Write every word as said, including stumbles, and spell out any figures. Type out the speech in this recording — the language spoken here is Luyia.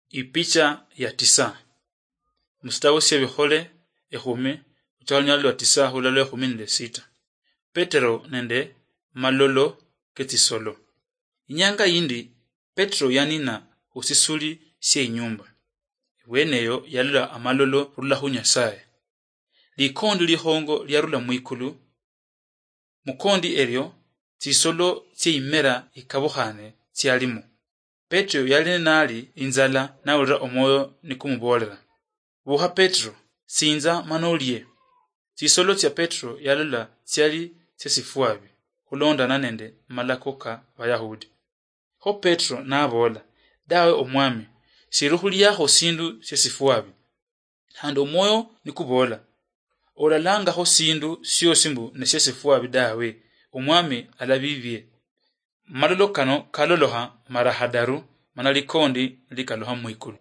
Ipicha ya tisa. Musitawo syebikhole ekhumi, luchaka lunyala lwa tisa khulala ekhumi nende sita. Petero nende malolo ketsisolo. Inyanga yindi Petero yanina khusisuli sye inyumba. Ibweneyo yalola amalolo khurula khu Nyasaye. Likondi likhongo lyarula mwikulu. Mukondi erio tsisolo tsye imera ikabukhane tsialimo. Petero yali nali inzala nawulira omwoyo nikumuboolera, "Bukha Petero, sinza mana olie." Tsisolo tsya Petero yalola tsiali tsye sifwabi khulondana nende malako ka Bayahudi. Kho Petero naboola, "Dawe Omwami, siri khuliakho sindu syesifwabi." Khandi omwoyo nikubola, "Olalangakho sindu siosi mbu nesyesifwabi dawe, Omwami alabibie." Malolo kano kalolokha mara khadaru, mana likondi likalukha mwikulu.